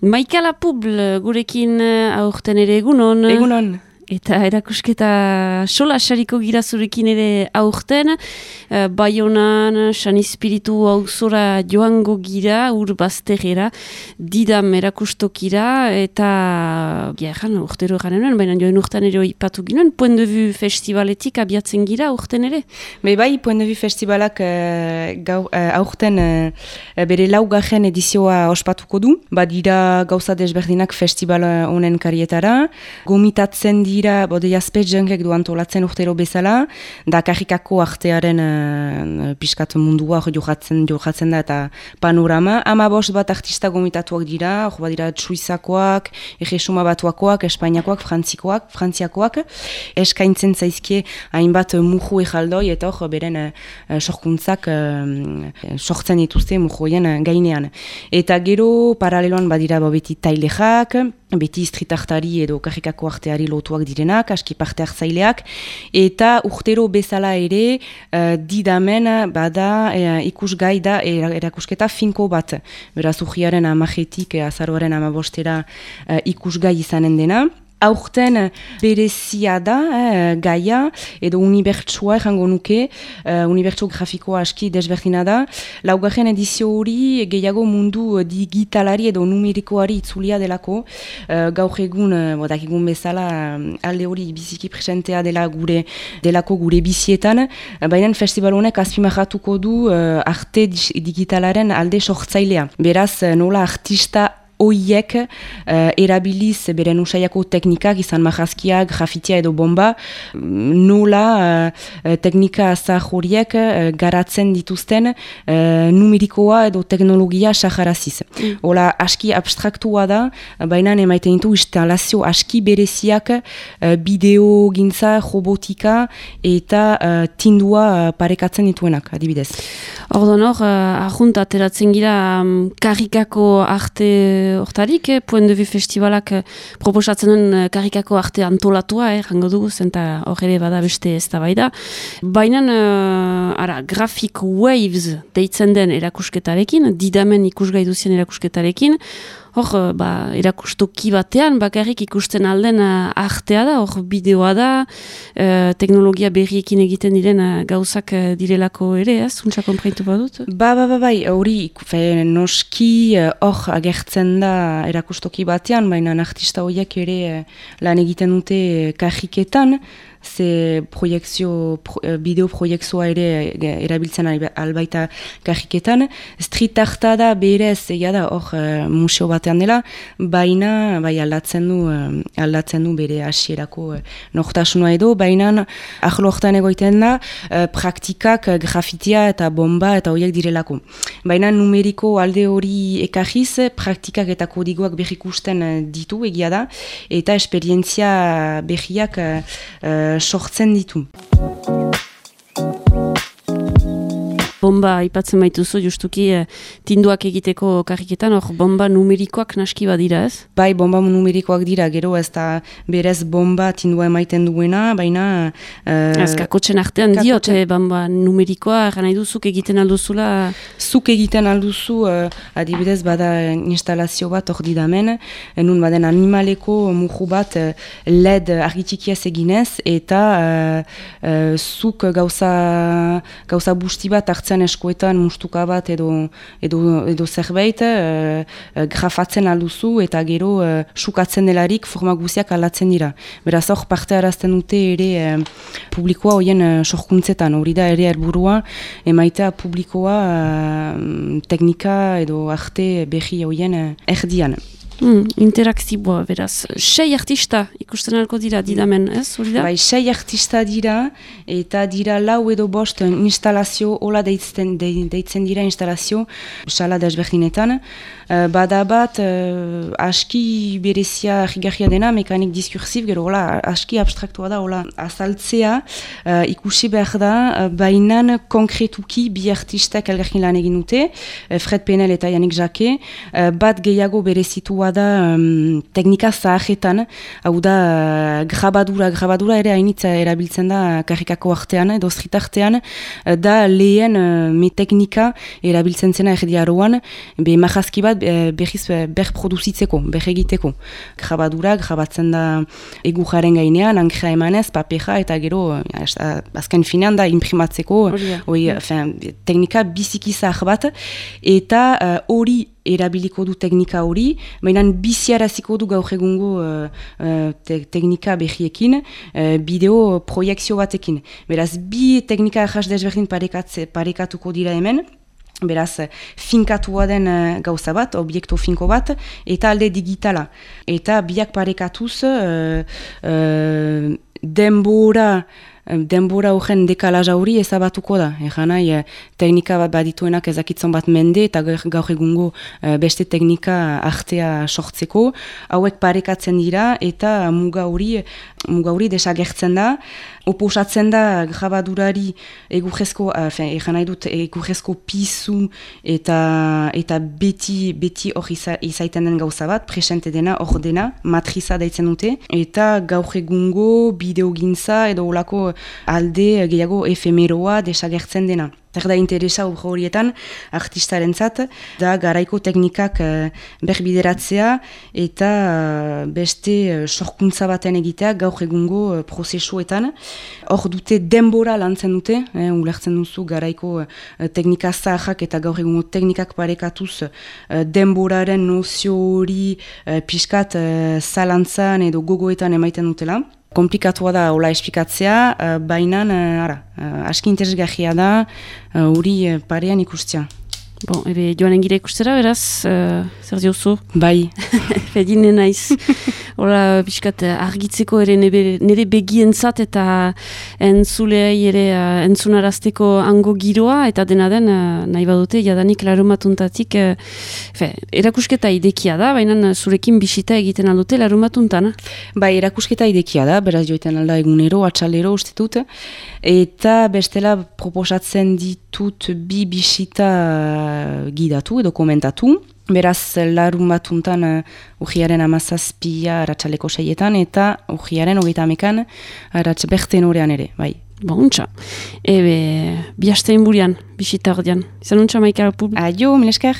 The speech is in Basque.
Maika Lapubl gurekin aurten ere egunon. Egunon. Eta erakusketa sola sariko gira zurekin ere aurten. Baionan, San Espiritu auzora joango gira, Urbazterrera, Didam erakustokira, eta urtero garen baina joan urtean ere ipatu ginen, Point de Vue Festivaletik abiatzen gira aurten ere. Bai, Point de Vue Festivalak aurten bere laugarren edizioa ospatuko du. Badira gauza desberdinak festival honen karietara. Gomitatzen dira, bode jaspetzenkek du antolatzen urtero bezala, da karrikako artearen piskat mundua jokatzen da eta panorama. 15 bat artista gomitatuak dira, hor badira Suizakoak, Erresuma Batuakoak, Espainiakoak, Frantziakoak, eskaintzen zaizkie hainbat muju ejaldoi eta hor beren sorkuntzak sortzen dituzte mujoien gainean. Eta gero paraleloan badira beti tailexak, beti street-artari edo karrikako arteari lotuak direnak, aski parte hartzaileak, eta urtero bezala ere Didamen bada ikusgai da erakusketa finko bat. Beraz, urriaren 10-etik azaroaren 15-era ikusgai izanen dena. Aurten berezia da, gaia, edo unibertsua errango nuke, unibertso grafikoa aski desberdina da. Laugarren edizio hori gehiago mundu digitalari edo numerikoari itzulia delako. Gaur egun, dakigun bezala, alde hori biziki presentea delako gure bizietan. Baina festival honek azpimarratuko du arte digitalaren alde sortzailea. Beraz, nola artista oiek erabiliz beren usaiako teknikak, izan marrazkiak, grafitia edo bomba, nola teknika azar horiek garatzen dituzten numerikoa edo teknologia saharaziz. Hola, aski abstraktua da, baina emaiten ditu instalazio aski bereziak bideo gintza, robotika eta tindua parekatzen dituenak, adibidez. Ordon hor, ahunt ateratzen gira karrikako arte hortarik, Point de Vue Festivalak proposatzen duen karrikako arte antolatua, jango dugu, zenta hor ere bada beste eztabaida. Baina, Graphic Waves deitzen den erakusketarekin, Didamen ikusgai duzien erakusketarekin, hor, erakustoki batean, bakarrik ikusten alden artea da, hor bideoa da, teknologia berriekin egiten diren gauzak direlako ere, zuntza konpreitu badut? Bai, hori, noski hor agertzen da erakustoki batean, baina artista horiek ere lan egiten dute karriketan, ze bideo proiektzioa ere erabiltzen albaita karriketan. Street arta da berez, egia da, hor museo batean dela, baina aldatzen du bere hasierako nortasuna edo, baina ahlo hortan egoiten da praktikak grafitia eta bomba eta horiek direlako. Baina numeriko alde hori ekarriz, praktikak eta kodigoak berrikusten ditu, egia da, eta esperientzia berriak sortzen ditu. Bomba aipatzen baituzu justuki tinduak egiteko karriketan, hor bomba numerikoak naski badira, ez? Bai, bomba numerikoak dira, gero ez da berez bomba tindua emaiten duena, baina... Ez kakotxen artean diote bomba numerikoa, nahi duzuk egiten alduzula? Zuk egiten alduzu, adibidez bada instalazio bat hor Didamen, nun baden animaleko muju bat LED argitikiaz eginez, eta zuk gauza busti bat hartzen eskoetan mustuka bat edo zerbait grafatzen alduzu eta gero sukatzen delarik forma guziak aldatzen dira. Beraz hor parte arazten dute ere publikoa horien sorkuntzetan, hori da ere helburua emaitea publikoa teknika edo arte berri horien erdian. Interaktiboa, beraz. 6 artista ikusten alko dira Didamen, ez? Bai, 6 artista dira, eta dira 4 edo 5 instalazio, hola deitzen dira instalazio, sala desberdinetan. Bada bat, aski berezia rigarria dena, mekanik diskursiv, gero hola, aski abstraktua da, hola, azaltzea, ikusi behar da, bainan konkretuki bi artistak elgarkin lan egin dute, Fred Penel eta Yannick Jacquet, bat gehiago berezitua egindakoa da teknika zahajetan, hau da grabadura ere hainitza erabiltzen da karrikako artean, edo street-artean, da lehen teknika erabiltzen zena erdiaroan, majazki bat berriz berproduzitzeko, berregiteko. Grabatzen da egujaren gainean, ankrea emanez, papera, eta gero, azken finean da imprimatzeko, teknika biziki zahar bat, eta hori erabiliko du teknika hori, baina biziaraziko du gaur egungo teknika behiekin, bideo proiekzio batekin. Beraz, bi teknika ahas desberdin parekatuko dira hemen, beraz, finkatua den gauza bat, obiektu finko bat, eta alde digitala. Eta biak parekatuz denbora horren dekalaja hori ezabatuko da. Nahi, teknika bat badituenak ezakitzen bat mende eta gaur egungo beste teknika artea sortzeko. Hauek parekatzen dira eta muga hori desagertzen da. Oposatzen da grabadurari egurrezko pizu eta beti hor izaiten den gauza bat, presente dena, hor dena, matriza daitzen dute. Eta gaur egungo bideogintza edo olako alde gehiago efemeroa desagertzen dena. Zer da interesa horietan artistarentzat da garaiko teknikak berbideratzea eta beste sorkuntza baten egitea gaur egungo prozesuetan. Hor dute denbora lantzen dute, ulertzen duzu garaiko teknika zaharrak eta gaur egungo teknikak parekatuz denboraren nozio hori pixkat zalantzan edo gogoetan emaiten dutela. Komplikatua da hola esplikatzea, baina aski interesgarria da hori parean ikustea. Bon, ebe joanen gira ikustera, beraz, zer diozu? Bai. Fedine naiz. Hola, biskat, argitzeko ere nire begientzat eta entzuleai ere entzunarazteko hango giroa, eta dena den, nahi badute, jadanik larumatuntatik, erakusketa idekia da, baina zurekin bisita egiten aldute larumatuntan. Bai, erakusketa idekia da, beraz joiten alda egunero, atxalero uste dut, eta bestela proposatzen ditut bi bisita gidatu edo komentatu. Beraz, larun batuntan urriaren 17 aratsaleko 6etan eta urriaren 30ean berten orean ere, bai. Bontxa. Ebe, bihastein burian, bisita ordean. Izan untxa, Maika Pup. Aio, milesker.